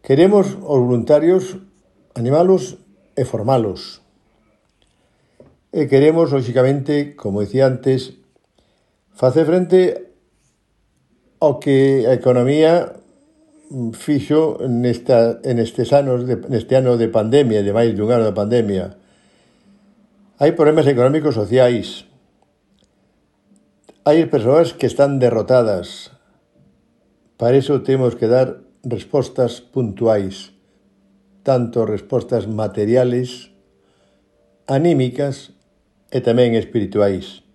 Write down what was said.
Queremos os voluntarios animalos e formalos. E queremos, lóxicamente, como dicía antes, facer frente ao que a economía fixo nestes anos, neste ano de pandemia, de máis dun ano de pandemia. Hai problemas económicos sociais. Hai persoas que están derrotadas. Para iso temos que dar respostas puntuais, tanto respostas materiales, anímicas e tamén espirituais.